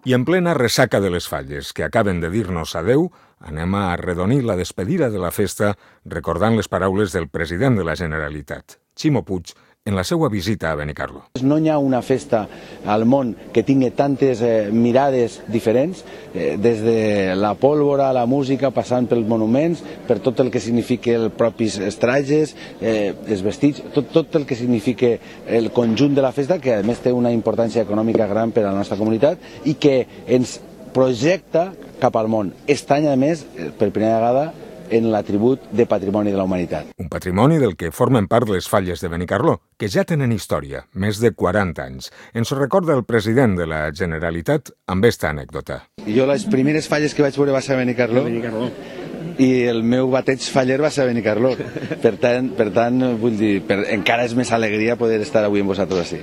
I en plena ressaca de les Falles, que acaben de dir-nos adeu, anem a arredonir la despedida de la festa recordant les paraules del president de la Generalitat, Ximo Puig, en la seva visita a Benicarló. No hi ha una festa al món que tingui tantes mirades diferents, des de la pólvora, la música, passant pels monuments, per tot el que significa els propis trajes, els vestits, tot el que significa el conjunt de la festa, que a més té una importància econòmica gran per a la nostra comunitat i que ens projecta cap al món. Aquest any, a més, per primera vegada, en l'atribut de Patrimoni de la Humanitat. Un patrimoni del que formen part les Falles de Benicarló, que ja tenen història, més de 40 anys. Ens ho recorda el president de la Generalitat amb esta anècdota. Jo les primeres falles que vaig veure va ser a Benicarló. I el meu bateig faller va ser a Benicarló. Per tant, vull dir, encara és més alegria poder estar avui amb vosaltres així.